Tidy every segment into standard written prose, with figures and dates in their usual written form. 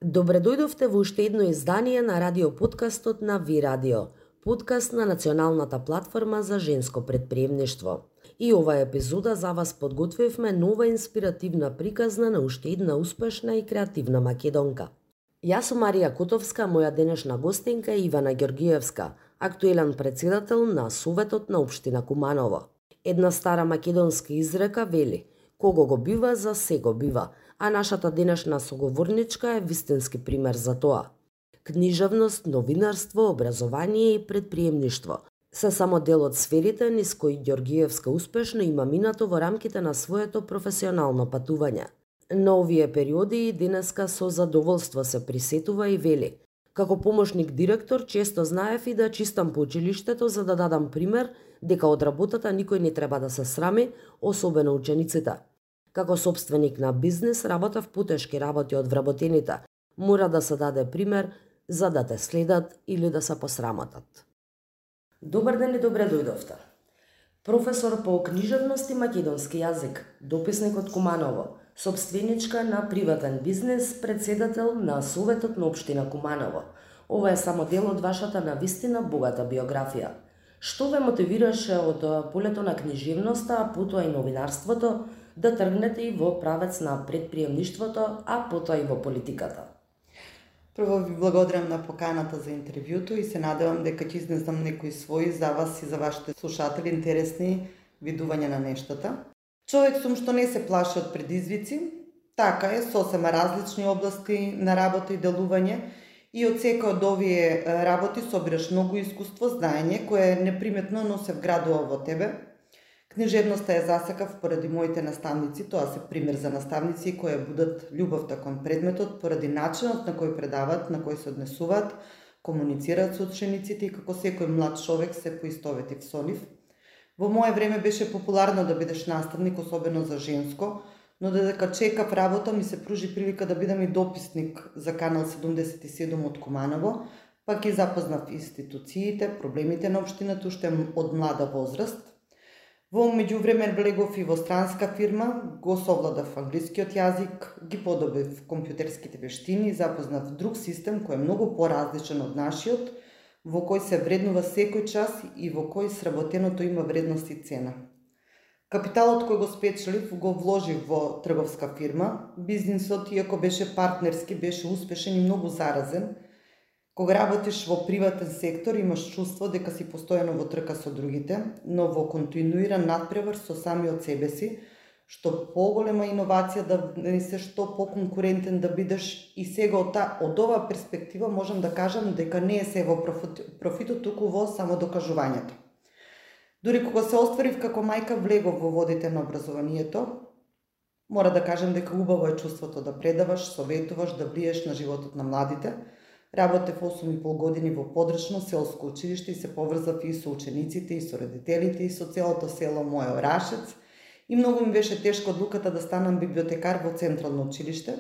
Добре дојдовте во уште едно издание на радиоподкастот на Ви Радио, подкаст на Националната платформа за женско предприемништво. И оваа епизода за вас подготвивме нова инспиративна приказна на уште една успешна и креативна македонка. Јас сум Марија Котовска, моја денешна гостинка е Ивана Ѓоргиевска, актуелен председател на Советот на општина Куманово. Една стара македонска изрека вели: кого го бива, за се го бива, а нашата денешна соговорничка е вистински пример за тоа. Книжевност, новинарство, образование и предприемништво се само дел од сферите низ кои Ѓоргиевска успешно има минато во рамките на своето професионално патување. На овие периоди денеска со задоволство се присетува и вели: како помошник директор често знаев и да чистам по училиштето за да дадам пример дека од работата никој не треба да се срами, особено учениците. Како собственик на бизнес работев потешки работи од вработените. Мора да се даде пример за да те следат или да се посрамотат. Добар ден и добре дојдовте. Професор по книжевност и македонски јазик, дописник од Куманово, собственичка на приватен бизнес, председател на Советот на општина Куманово. Ова е само дел од вашата навистина богата биографија. Што ве мотивираше од полето на книжевноста, а потоа и новинарството, да тргнете и во правец на предприемништвото, а потоа и во политиката? Прво ви благодарам на поканата за интервјуто и се надевам дека ќе изнесам некои своји за вас и за вашите слушатели интересни видувања на нештата. Човек сум што не се плаши од предизвици, така е, сосема различни области на работа и делување и од секој од овие работи собираш многу искуство, знаење кое неприметно но се вградува во тебе. Книжевноста е засекав поради моите наставници, тоа се пример за наставници кои будат љубовта кон предметот поради начинот на кој предават, на кој се однесуваат, комуницираат со учениците и како секој млад човек се поистоветив со нив. Во мое време беше популарно да бидеш наставник, особено за женско, но додека чекав работа ми се пружи прилика да бидам и дописник за Канал 77 од Куманово, пак и запознав институциите, проблемите на општината уште од млада возраст. Во меѓувреме влегов и во странска фирма, го совладав англискиот јазик, ги подобив компјутерските вештини, запознав друг систем кој е многу поразличен од нашиот, во кој се вреднува секој час и во кој сработеното има вредност и цена. Капиталот кој го спечелив го вложив во трговска фирма. Бизнисот, иако беше партнерски, беше успешен и многу заразен. Кога работиш во приватен сектор, имаш чувство дека си постојано во трка со другите, но во континуиран надпревар со самиот себе си, што поголема иновација да не се што поконкурентен да бидеш и сега од оваа перспектива можам да кажам дека не е се во профитот, туку во само докажувањето. Дури кога се остварив како мајка, влегов во водите на образованието, мора да кажам дека убаво е чувството да предаваш, советуваш, да влиеш на животот на младите. Работев 8,5 години во подрачно селско училиште и се поврзав и со учениците, и со родителите, и со целото село моје Орашец. И многу ми беше тешко одлуката да станам библиотекар во централно училиште.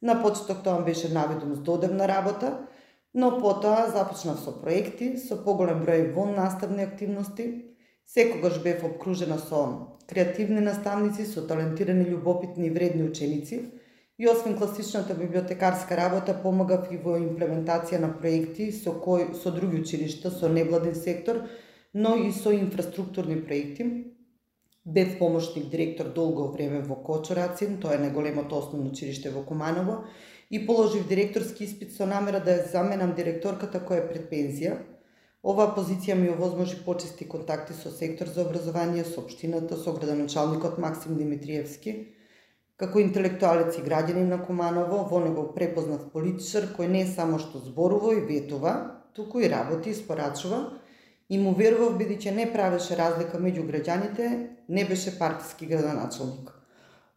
На почеток тоа беше навидум здодевна работа, но потоа започнав со проекти, со поголем број вон наставни активности. Секогаш бев обкружена со креативни наставници, со талентирани, љубопитни и вредни ученици. И освен класичната библиотекарска работа, помагав и во имплементација на проекти со други училишта, со невладен сектор, но и со инфраструктурни проекти. Бев помошник директор долго време во Кочурацин, тоа е најголемото основно училиште во Куманово, и положив директорски испит со намера да ја заменам директорката која е пред пензија. Оваа позиција ми овозможи почести контакти со сектор за образование, со општината, со градоначалникот Максим Димитриевски. Како интелектуалец и граѓанин на Куманово, во него препознав политичар кој не само што зборува и ветува, туку и работи и спорачува, и му верував бидејќи не правеше разлика меѓу граѓаните, не беше партиски градоначалник.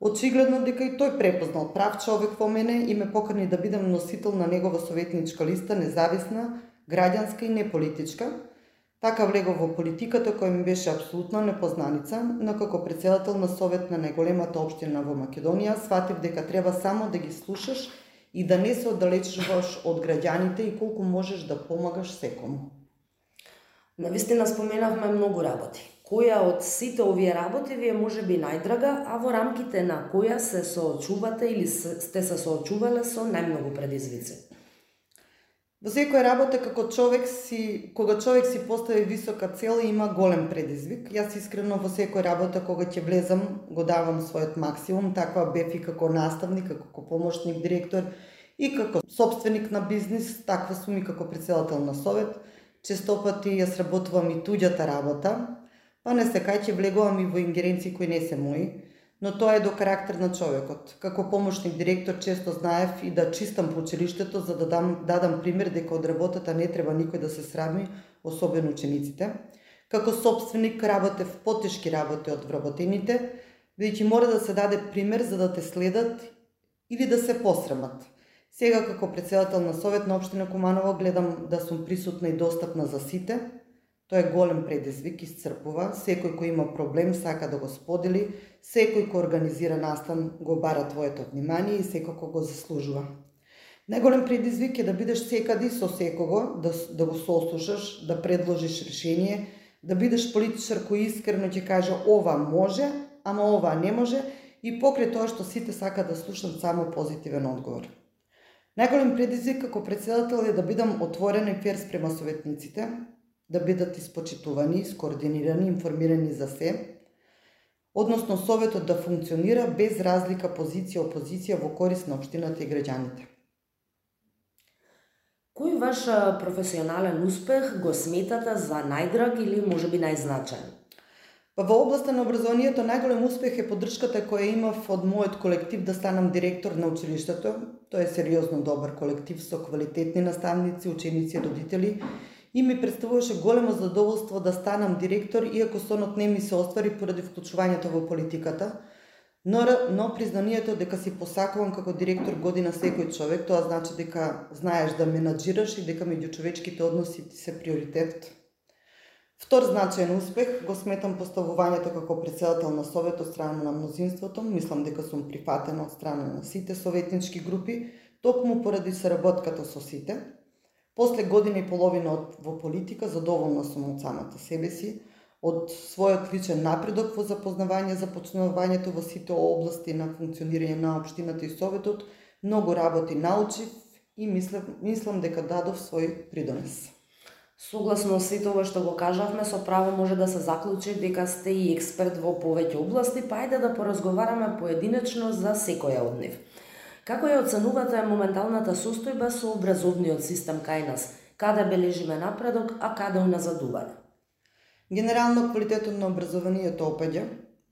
Очигледно дека и тој препознал прав човек во мене и ме покани да бидам носител на негова советничка листа, независна, граѓанска и неполитичка. Така влегов во политиката која ми беше апсолутно непознаница, но како председател на Совет на најголемата општина во Македонија, сватив дека треба само да ги слушаш и да не се оддалечуваш од граѓаните и колку можеш да помагаш секому. Навистина споменавме многу работи. Која од сите овие работи ви е можеби најдрага, а во рамките на која се соочувате или сте се соочувале со најмногу предизвици? Во секоја работа кога човек си постави висока цел и има голем предизвик. Јас искрено во секоја работа кога ќе влезам го давам својот максимум, таква бев и како наставник, како помошник директор и како сопственик на бизнис, таква сум и како претседател на совет. Честопати јас работувам и туѓата работа, па не се кај ќе влегувам и во ингеренции кои не се мои, но тоа е до карактер на човекот. Како помошник директор често знаев и да чистам по училиштето за да дадам пример дека од работата не треба никој да се срами, особено учениците. Како сопственик работев потешки работи од вработените, бидејќи мора да се даде пример за да те следат или да се посрамат. Сега како претседател на совет на општина Куманово гледам да сум присутна и достапна за сите. Тоа е голем предизвик, исцрпува. Секој кој има проблем сака да го сподели, секој кој организира настан го бара твоето внимание и секако го заслужува. Најголем предизвик е да бидеш секаде со секого, да го сослушаш, да предложиш решение, да бидеш политичар кој искрено ќе каже ова може, ама ова не може и покрај тоа што сите сака да слушнат само позитивен одговор. Најголем предизвик како претседател е да бидам отворен и фер спрема советниците, да бидат испочитувани, скоординирани, информирани за се, односно советот да функционира без разлика позиција-опозиција во корист на општината и граѓаните. Кој ваш професионален успех го сметате за најдраг или можеби најзначаен? Во областа на образованието најголем успех е поддршката која имав од мојот колектив да станам директор на училиштето. Тоа е сериозно добар колектив со квалитетни наставници, ученици и родители. И ми представуваше големо задоволство да станам директор, иако сонот не ми се оствари поради вклучувањето во политиката, но признанието дека си посакувам како директор година секој човек, тоа значи дека знаеш да менаџираш и дека меѓучовечките односи ти се приоритет. Втор значаен успех го сметам поставувањето како претседател на совет од страна на мнозинството. Мислам дека сум прифатена од страна на сите советнички групи, токму поради соработката со сите. После година и половина во политика, задоволна сум од самата себе си, од својот личен напредок во запознавање, започнувањето во сите области на функционирање на општината и советот, многу работи научив и мислам дека дадов свој придонес. Согласно сето ова што го кажавме, со право може да се заклучи дека сте и експерт во повеќе области, па ајде да поразговараме поединечно за секоја од нив. Како ја оценувате моменталната состојба со образовниот систем кај нас? Каде бележиме напредок, а каде уназадување? Генерално квалитетот на образованието опаѓа,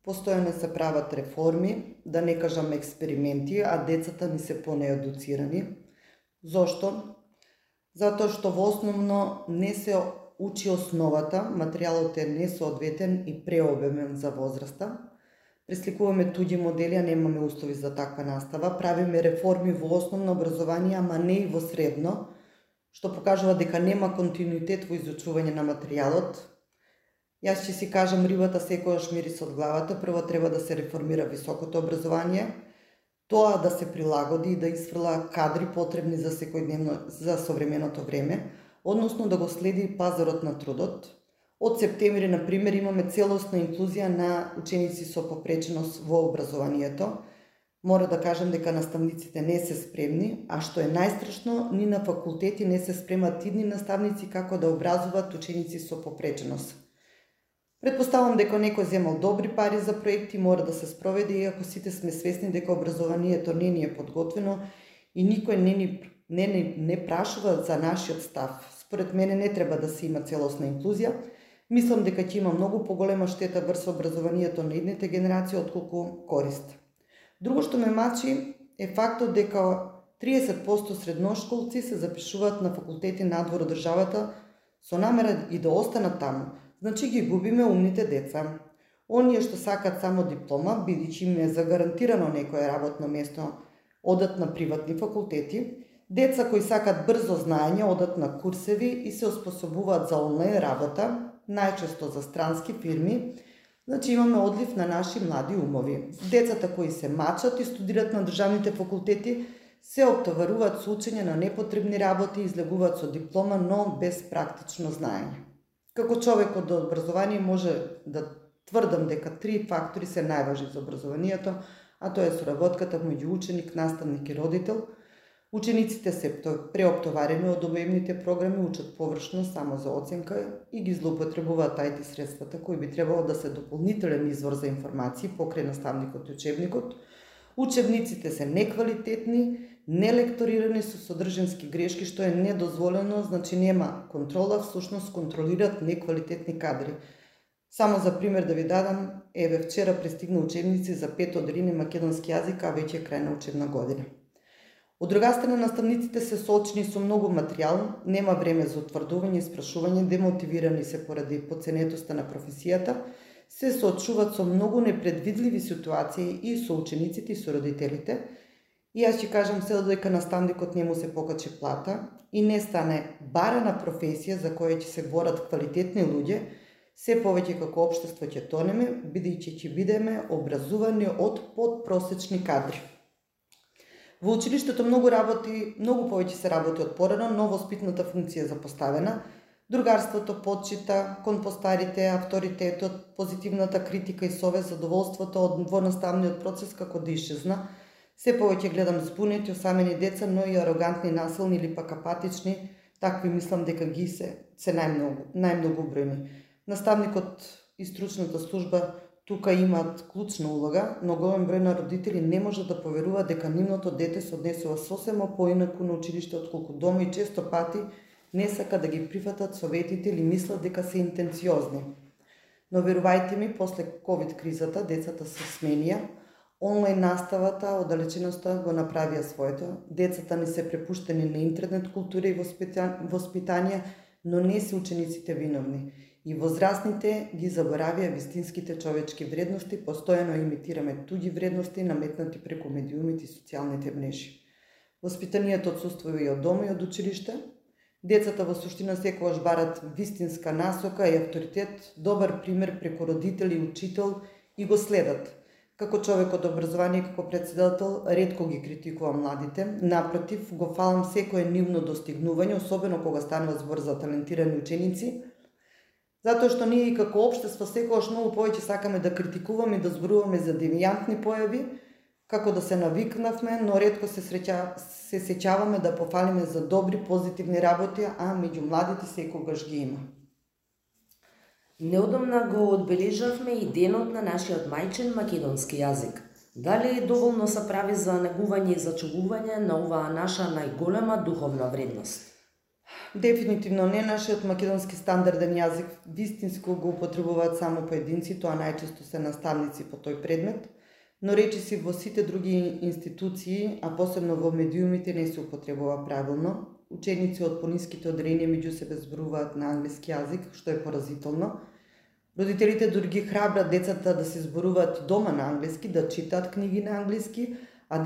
постојано се прават реформи, да не кажам експерименти, а децата ни се понеедуцирани. Зошто? Затоа што во основно не се учи основата, материјалот е несоодветен и преобемен за возраста. Пресликуваме туѓи модели, а немаме услови за таква настава. Правиме реформи во основно образование, ама не и во средно, што покажува дека нема континуитет во изучување на материјалот. Јас ќе си кажам, рибата секогаш мириси од главата. Прво треба да се реформира високото образование, тоа да се прилагоди и да изфрла кадри потребни за современото време, односно да го следи пазарот на трудот. Од септември, на пример, имаме целосна инклузија на ученици со попреченост во образованието. Мора да кажам дека наставниците не се спремни, а што е најстрашно, ни на факултети не се спремат идни наставници како да образуваат ученици со попреченост. Предпоставам дека некој земал добри пари за проекти, мора да се спроведе, иако сите сме свесни дека образованието не ни е подготвено и никој не прашува за нашиот став. Според мене не треба да се има целосна инклузија. Мислам дека ќе има многу поголема штета врз образованието на идните генерации отколку корист. Друго што ме мачи е фактот дека 30% средношколци се запишуваат на факултети надвор од државата со намера и да останат таму. Значи ги губиме умните деца. Оние што сакат само диплома, бидејќи им е загарантирано некое работно место, одат на приватни факултети. Деца кои сакат брзо знаење, одат на курсеви и се оспособуваат за онлайн работа, најчесто за странски фирми. Значи имаме одлив на наши млади умови. Децата кои се мачат и студират на државните факултети се оптоваруваат со учење на непотребни работи и излегуваат со диплома, но без практично знаење. Како човек од образование може да тврдам дека 3 фактори се најважни за образованието, а тоа е соработката меѓу ученик, наставник и родител. Учениците се преоптоварени од обемните програми, учат површно само за оценка и ги злоупотребуваат IT средствата кои би требало да се дополнителен извор за информации покрај наставникот и учебникот. Учебниците се неквалитетни, нелекторирани со содржински грешки, што е недозволено, значи нема контрола, всушност контролираат неквалитетни кадри. Само за пример да ви дадам, вчера пристигна учебници за 5 оделини македонски јазик, а веќе е крај на учебна година. Од друга страна, наставниците се соочени со многу материјал, нема време за утврдување и спрашување, демотивирани се поради подценетоста на професијата, се соочуваат со многу непредвидливи ситуации и со учениците и со родителите. И јас ќе кажам се додека наставникот не му се покачи плата и не стане барана професија за која ќе се борат квалитетни луѓе, се повеќе како општество ќе тонеме, бидејќи ќе бидеме образувани од подпросечни кадри. Во училиштето многу повеќе се работи од порано, но воспитната функција е запоставена. Другарството, почита кон постарите, авторитетот, позитивната критика и совест, задоволството од вонаставниот процес како да исчезна. Се повеќе гледам збунети, осамени деца, но и арогантни, насилни или пак апатични, такви мислам дека ги се најмногу бројни. Наставникот и стручната служба тука имаат клучна улога, но голем број на родители не може да поверува дека нивното дете се однесува сосема поинаку на училиште отколку дома и често пати не сака да ги прифатат советите или мислат дека се интенциозни. Но верувајте ми, после ковид кризата децата се сменија, онлайн наставата, оддалеченоста го направија своето. Децата ни се препуштени на интернет култура и воспитање, но не се учениците виновни. И возрастните ги заборавија вистинските човечки вредности, постојано имитираме туѓи вредности наметнати преку медиумите и социјалните мрежи. Воспитанието отсуствува и од дома и од училиште. Децата во суштина секогаш барат вистинска насока и авторитет, добар пример преку родител и учител и го следат. Како човек од образование и како председател, ретко ги критикувам младите. Напротив, го фалам секое нивно достигнување, особено кога станува збор за талентирани ученици, затоа што ние и како општество секогаш многу повеќе сакаме да критикуваме и да зборуваме за девијантни појави, како да се навикнавме, но ретко се сеќаваме да пофалиме за добри, позитивни работи, а меѓу младите секогаш ги има. Неодамна го одбележавме и денот на нашиот мајчин македонски јазик. Дали доволно се прави за негување и зачувување на оваа наша најголема духовна вредност? Дефинитивно не. Нашиот македонски стандарден јазик вистинско го употребуваат само поединци, тоа најчесто се наставници по тој предмет, но речиси во сите други институции, а посебно во медиумите, не се употребува правилно. Ученици од пониските одделенија меѓу себе зборуваат на англиски јазик, што е поразително. Родителите дури ги храбрат децата да се зборуваат дома на англиски, да читаат книги на англиски, а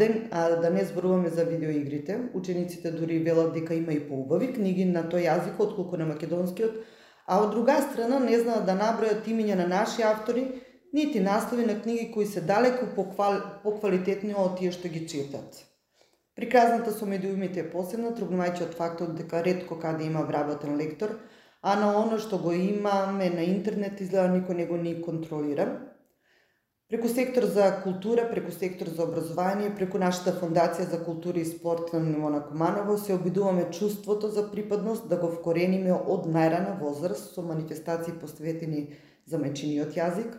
да не зборуваме за видеоигрите. Учениците дури велат дека има и поубави книги на тој јазик отколку на македонскиот, а од друга страна не знаат да набројат имиња на наши автори, нити наслови на книги кои се далеку поквалитетни од тие што ги читат. Приказната со медиумите е посебна, тргнувајќи од фактот дека ретко каде има вработен лектор, а на оно што го имаме на интернет изгледа никој не го ни контролира. Преку сектор за култура, преку сектор за образование, преку нашата фондација за култура и спорт на Милона Куманово се обидуваме чувството за припадност да го вкорениме од најрана возраст со манифестации посветени за мајчиниот јазик,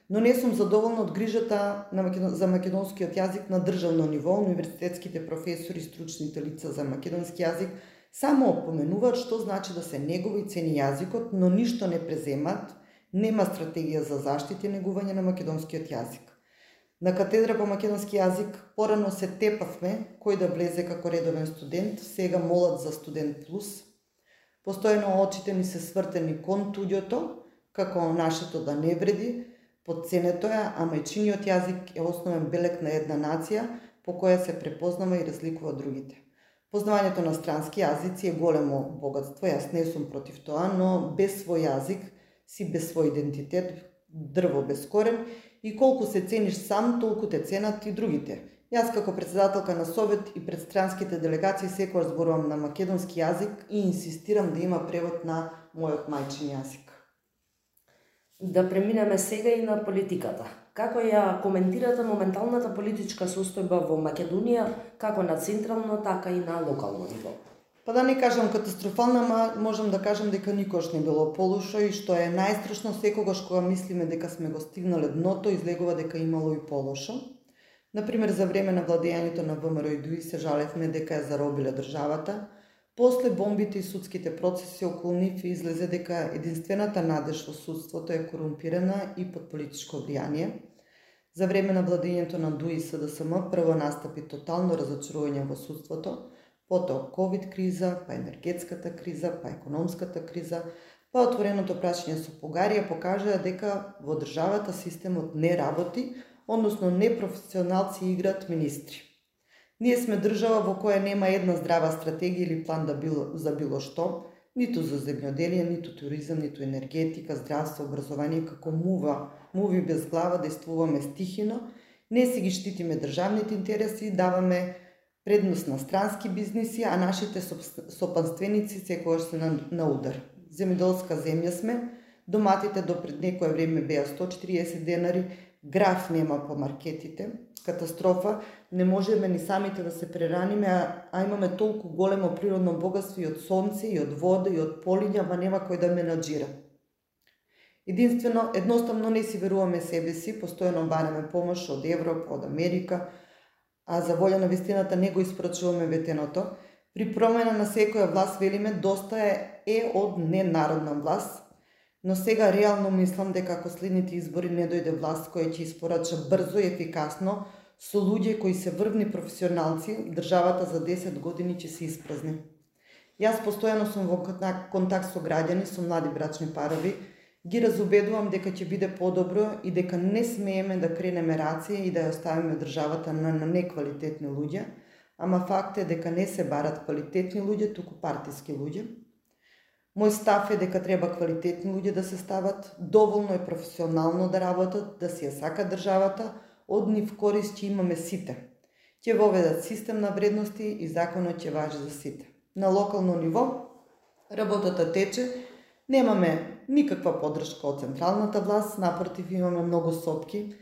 но не сум задоволна од грижата за македонскиот јазик на државно ниво. Универзитетските професори и стручните лица за македонски јазик само опоменуваат што значи да се негува и цени јазикот, но ништо не преземат. Нема стратегија за заштита и негување на македонскиот јазик. На катедра по македонски јазик порано се тепавме кој да влезе како редовен студент, сега молат за студент плюс. Постојано очите ни се свртени кон туѓото, како нашето да не вреди, подценето е, а мајчиниот јазик е основен белег на една нација по која се препознава и разликува од другите. Познавањето на странски јазици е големо богатство, јас не сум против тоа, но без свој јазик си без свој идентитет, дрво без корен, и колку се цениш сам, толку те ценат и другите. Јас како председателка на совет и пред странските делегации секогаш зборувам на македонски јазик и инсистирам да има превод на мојот мајчин јазик. Да преминеме сега и на политиката. Како ја коментирате моменталната политичка состојба во Македонија, како на централно, така и на локално ниво? Па да не кажам катастрофална, можам да кажам дека никош не било полошо и што е најстрашно, секогаш кога мислиме дека сме го стигнале дното, излегува дека имало и полошо. Например, за време на владењето на ВМРО и ДУИ се жалевме дека ја заробиле државата. После бомбите и судските процеси околу нив излезе дека единствената надеж во судството е корумпирана и под политичко влијание. За време на владењето на ДУИ и СДСМ прво настапи тотално разочарување во судството, потоа ковид криза, па енергетската криза, па економската криза, па отвореното прашање со Бугарија покажаа дека во државата системот не работи, односно непрофесионалци играат министри. Ние сме држава во која нема една здрава стратегија или план за било што, ниту за земјоделие, ниту туризам, ниту енергетика, здравство, образование, како муви без глава, действуваме стихино, не си ги штитиме државните интереси, даваме предност на странски бизниси, а нашите сопанственици секогаш се на удар. Земјоделска земја сме, доматите до пред некое време беа 140 денари, граф нема по маркетите, катастрофа, не можеме ни самите да се прераниме, а имаме толку големо природно богатство и од сонце, и од вода, и од полиња, ма нема кој да менаџира. Едноставно не си веруваме себе си, постојано бараме помош од Европа, од Америка, а за волја на вистината не го испорачуваме ветеното. При промена на секоја власт велиме доста е од ненародна власт, но сега реално мислам дека ако следните избори не дојде власт која ќе испорача брзо и ефикасно, со луѓе кои се врвни професионалци, државата за 10 години ќе се испразни. Јас постојано сум во контакт со граѓани, со млади брачни парови, ги разубедувам дека ќе биде подобро и дека не смееме да кренеме рација и да ја оставиме државата на неквалитетни луѓе, ама факт е дека не се барат квалитетни луѓе, туку партиски луѓе. Мој став е дека треба квалитетни луѓе да се стават, доволно е професионално да работат, да си ја сакат државата, од нив корист ќе имаме сите. Ќе воведат систем на вредности и законот ќе важи за сите. На локално ниво работата тече, немаме никаква поддршка од централната власт, напротив имаме многу сопки.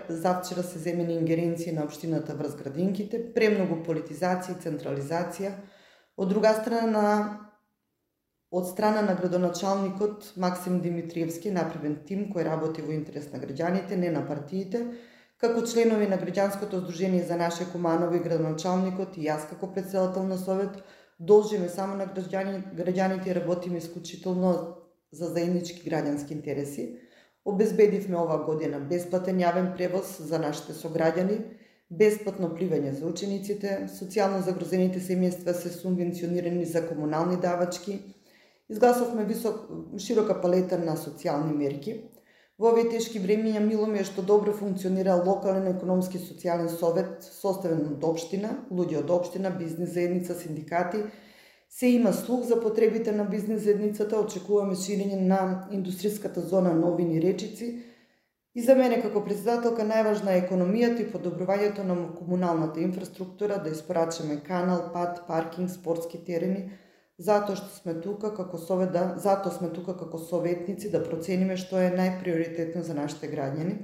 Завчера се земени ингеренции на општината врз градинките, премногу политизација и централизација. Од друга страна, од страна на градоначалникот Максим Димитриевски направен тим кој работи во интерес на граѓаните, не на партиите. Како членови на граѓанското здружение за наше Куманово и градоначалникот и јас како претседател на совет должиме само на граѓаните и работиме исклучително за заеднички граѓански интереси. Обезбедивме оваа година бесплатен јавен превоз за нашите сограѓани, бесплатно пливање за учениците, социјално загрозените семејства се субвенционирани за комунални давачки. Изгласовме широка палета на социјални мерки. Во овие тешки времиња мило ми е што добро функционира локален економски социјален совет, составен од општина, луѓе од општина, бизнис заедница, синдикати. Се има слух за потребите на бизнис заедницата, очекуваме ширење на индустријската зона Новини Речици. И за мене како председателка најважна е економијата и подобрувањето на комуналната инфраструктура, да испорачаме канал, пат, паркинг, спортски терени, затоа сме тука како советници да процениме што е најприоритетно за нашите граѓани.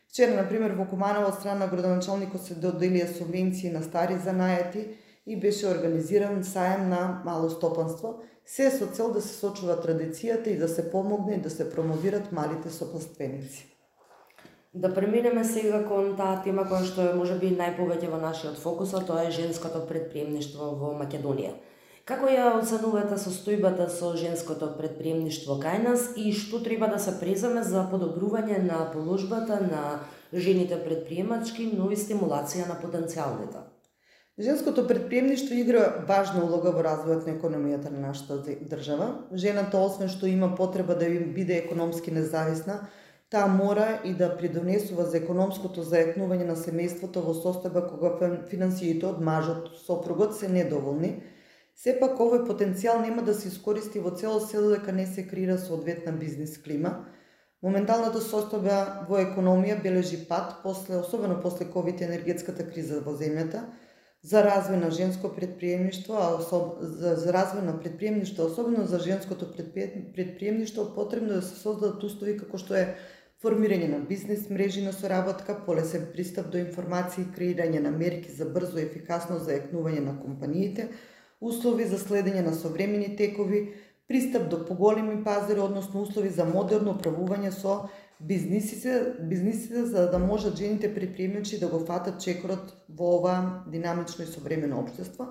Вчера, например, во Куманово од страна на градоначалникот се доделија субвенции на стари занаети и беше организиран саем на мало стопанство, се со цел да се сочува традицијата и да се помогне и да се промовират малите сопанственици. Да преминеме сега кон таа тема која што е можеби најповеќе во нашиот фокус, а тоа е женското претприемништво во Македонија. Како ја оценувате состојбата со женското претприемништво кај нас и што треба да се преземе за подобрување на положбата на жените претприемачки, но и стимулација на потенцијалните? Женското претприемништво игра важна улога во развојот на економијата на нашата држава. Жената, освен што има потреба да биде економски независна, таа мора и да придонесува за економското зајакнување на семејството во состојба кога финансиите од мажот, сопругот се недоволни. Сепак овој потенцијал нема да се искористи во целост се додека не се креира соодветна бизнис клима. Моменталната состојба во економија бележи пат, особено после ковид енергетската криза во земјата. за развој на женско предприемништво, за развој на предприемништво, особено за женското предприемништво, потребно да се создадат услови како што е формирање на бизнес мрежи на соработка, полесен пристап до информации, креирање на мерки за брзо и ефикасно зајакнување на компаниите, услови за следење на современи текови, пристап до поголеми пазари, односно услови за модерно управување со бизнисите, за да можат жените предприемачи да го фатат чекорот во ова динамично и современо општество.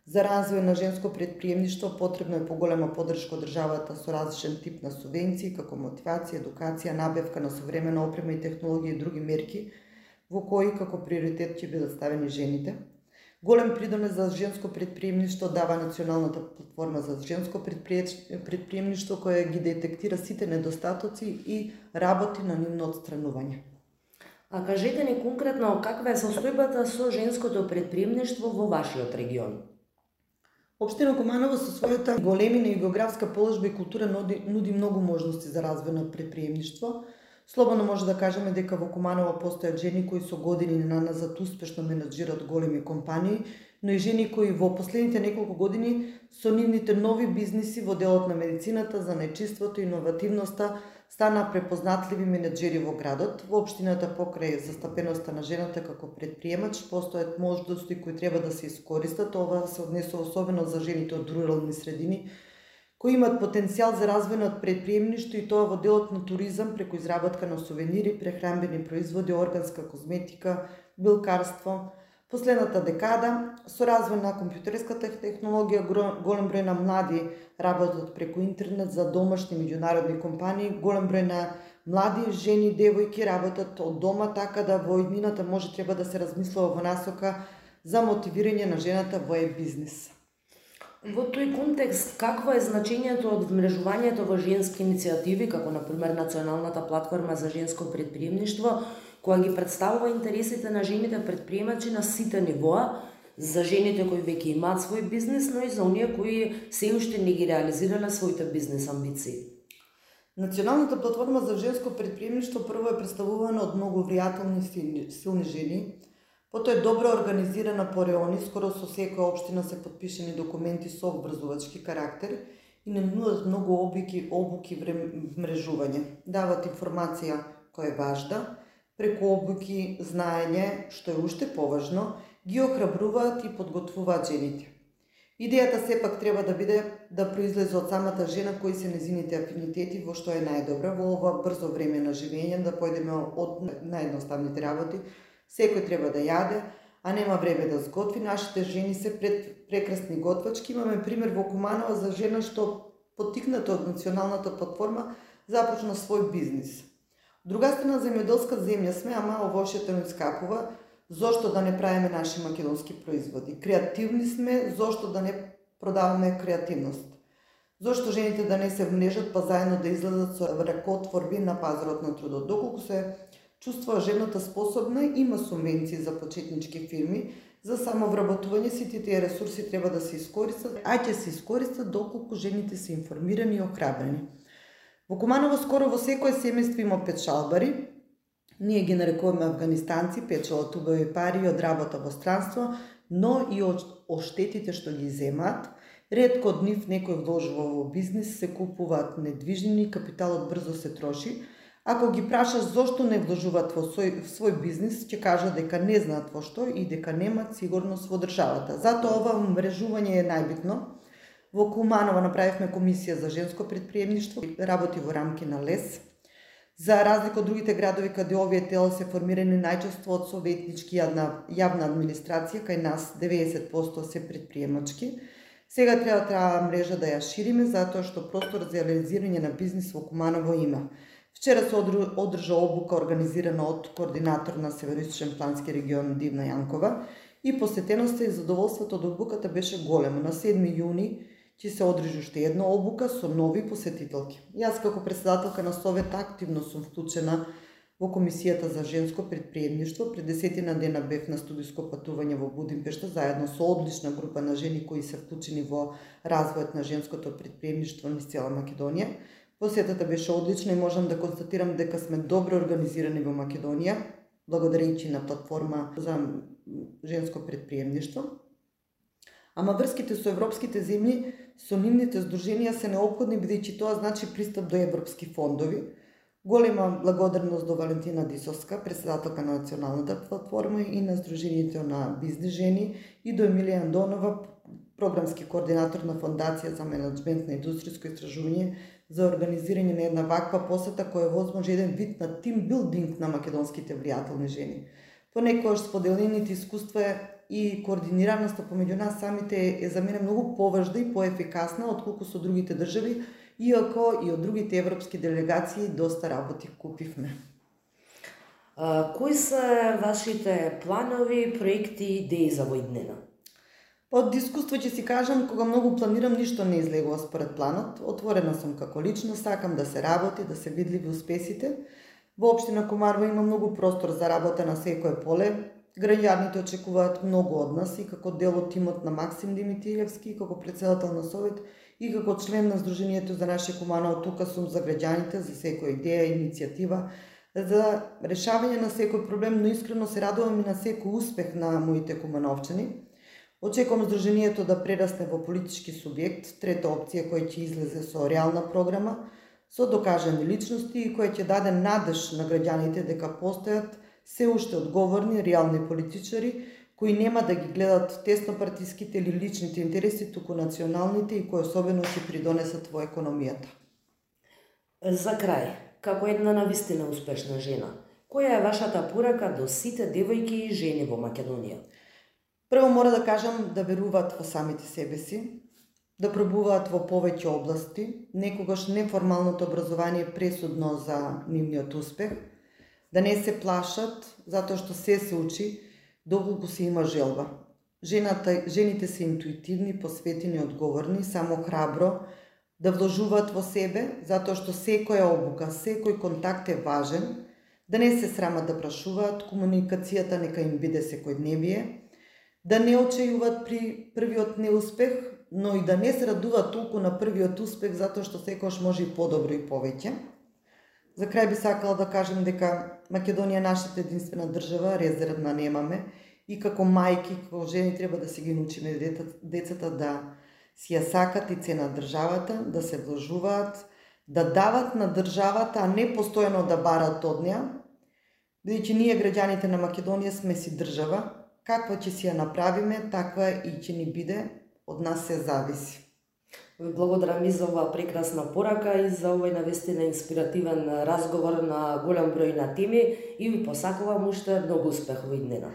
За развој на женско предприемништво потребно е поголема поддршка од државата со различен тип на субвенции, како мотивација, едукација, набавка на современа опрема и технологија и други мерки, во кои како приоритет ќе бидат ставени жените. Голем придонес за женско предприемништво дава Националната платформа за женско предприемништво, која ги детектира сите недостатоци и работи на нивно отстранување. А кажете ни конкретно каква е состојбата со женското предприемништво во вашиот регион? Општина Куманово со својата големина и географска положба и култура нуди многу можности за развој на предприемништво. Слободно може да кажеме дека во Куманово постојат жени кои со години наназад успешно менаџираат големи компании, но и жени кои во последните неколку години со нивните нови бизниси во делот на медицината, занаетчиството и иновативноста стана препознатливи менаџери во градот. Во општината покрај застапеноста на жената како предприемач постојат можности кои треба да се искористат. Ова се однесува особено за жените од рурални средини, кои имат потенцијал за развој на предприемништво и тоа во делот на туризам преку изработка на сувенири, прехранбени производи, органска козметика, билкарство. Последната декада, со развој на компјутерската технологија, голем број на млади работат преку интернет за домашни меѓународни компании, голем број на млади жени и девојки работат од дома, така да во иднината може треба да се размислува во насока за мотивирање на жената во бизнис. Во тој контекст, какво е значењето од вмрежувањето во женски иницијативи, како например Националната платформа за женско предприемништво, која ги представува интересите на жените предприемачи на сите нивоа, за жените кои веќе имаат свој бизнис, но и за оние кои се уште не ги реализирале своите бизнес амбиции? Националната платформа за женско предприемништво прво е представувана од многу влијателни силни жени. Потоа е добро организирана по реони, скоро со секоја општина се потпишени документи со обврзувачки карактер и не нудат многу обуки вмрежување. Дават информација која е важна, преку обуки, знаење, што е уште поважно, ги охрабруваат и подготвуваат жените. Идејата сепак треба да биде да произлезе од самата жена кои се незините афинитети во што е најдобра во ова брзо време на живење, да појдеме од наједноставните работи. Секој треба да јаде, а нема време да сготви. Нашите жени се прекрасни готвачки. Имаме пример во Куманово за жена што поттикната од Националната платформа започна свој бизнис. Од друга страна, земјоделска земја сме, ама овошјето не скапува. Зошто да не правиме наши македонски производи? Креативни сме, зошто да не продаваме креативност? Зошто жените да не се вмнежат па заедно да излезат со ракотворби на пазарот на трудот? Доколку се чувствува жената способна, има субвенции за почетнички фирми, за самовработување. Сите тие ресурси треба да се искористат, а ќе се искористат доколку жените се информирани и охрабрени. Во Куманово скоро во секое семејство има печалбари. Ние ги нарекуваме афганистанци, печелат убави пари од работа во странство, но и од оштетите што ги земаат. Ретко од нив некој вложува во бизнис, се купуваат недвижнини, капиталот брзо се троши. Ако ги прашаш зошто не вложуваат во свој бизнис, ќе кажат дека не знаат во што и дека немаат сигурност во државата. Затоа ова мрежување е најбитно. Во Куманово направивме комисија за женско предприемништво, работи во рамки на ЛЕС. За разлика од другите градови каде овие тела се формирани најчесто од советнички јавна администрација, кај нас 90% се предприемачки. Сега треба таа мрежа да ја шириме, затоа што простор за реализирање на бизнис во Куманово има. Вчера се одржа обука организирана од координатор на Североисточен плански регион Дивна Јанкова и посетеноста и задоволството од обуката беше големо. На 7 јуни ќе се одржи уште една обука со нови посетителки. Јас како председателка на Совет активно сум вклучена во Комисијата за женско предприемништво. Пред 10 дена бев на студиско патување во Будимпешта заедно со одлична група на жени кои се вклучени во развојот на женското предприемништво низ цела Македонија. Посетата беше одлична и можам да констатирам дека сме добро организирани во Македонија. благодарејќи на платформа за женско предприемништво. Ама врските со европските земји, со нивните здруженија се неопходни, бидејќи тоа значи пристап до европски фондови. Голема благодарност до Валентина Дисовска, председателка на националната платформа и на Сдруженијето на бизнес жени, и до Емилија Андонова, програмски координатор на Фондација за менеджмент на индустријско истражување, за организирање на една ваква посета која е возможно еден вид на тимбилдинг на македонските влијателни жени. Понекогаш споделените искуства и координираноста помеѓу нас самите е за мене многу поважна и поефикасна отколку со другите држави, иако и од другите европски делегации доста работи купивме. Кои се вашите планови, проекти и идеи за овој днена? Од искуство ќе си кажам, кога многу планирам, ништо не излегува според планот. Отворена сум како личност, сакам да се работи, да се видливи успесите. Во општина Комарова има многу простор за работа на секое поле. Граѓаните очекуваат многу од нас и како дел од тимот на Максим Димитриевски, како председател на Совет и како член на Сдруженијето за наше Куманово. Тука сум за граѓаните, за секоја идеја, иницијатива, за решавање на секој проблем, но искрено се радувам и на секој успех на моите кумановчани. Очекувам Сдруженијето да прерасне во политички субјект, трета опција која ќе излезе со реална програма, со докажани личности и која ќе даде надеж на граѓаните дека постојат се уште одговорни, реални политичари, кои нема да ги гледат теснопартиските или личните интереси, туку националните и кои особено ќе придонесат во економијата. За крај, како една навистина успешна жена, која е вашата порака до сите девојки и жени во Македонија? Прво мора да кажам да веруваат во самите себе си, да пробуваат во повеќе области, некогаш неформалното образование е пресудно за нивниот успех, да не се плашат, затоа што се учи, доколку се има желба. Жените се интуитивни, посветени, одговорни, само храбро да вложуваат во себе, затоа што секоја обука, секој контакт е важен, да не се срамат да прашуваат, комуникацијата нека им биде секојдневие, да не очајуваат при првиот неуспех, но и да не се радуваат толку на првиот успех, затоа што секогаш може и подобро и повеќе. За крај би сакала да кажем дека Македонија е нашата единствена држава, резервна немаме, и како мајки, како жени треба да си ги научиме децата да си ја сакат и ценат државата, да се вложуваат, да дават на државата, а не постојано да барат од неа, бидејќи ние граѓаните на Македонија сме си држава, каква ќе си ја направиме, таква и ќе ни биде, од нас се зависи. Ви благодарам и за оваа прекрасна порака и за овој навистина инспиративен разговор на голем број на теми и ви посакувам уште многу успех во днена.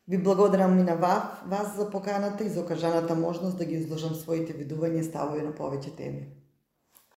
Ви благодарам и на вас за поканата и за окажаната можност да ги изложам своите видувања и ставови на повеќе теми.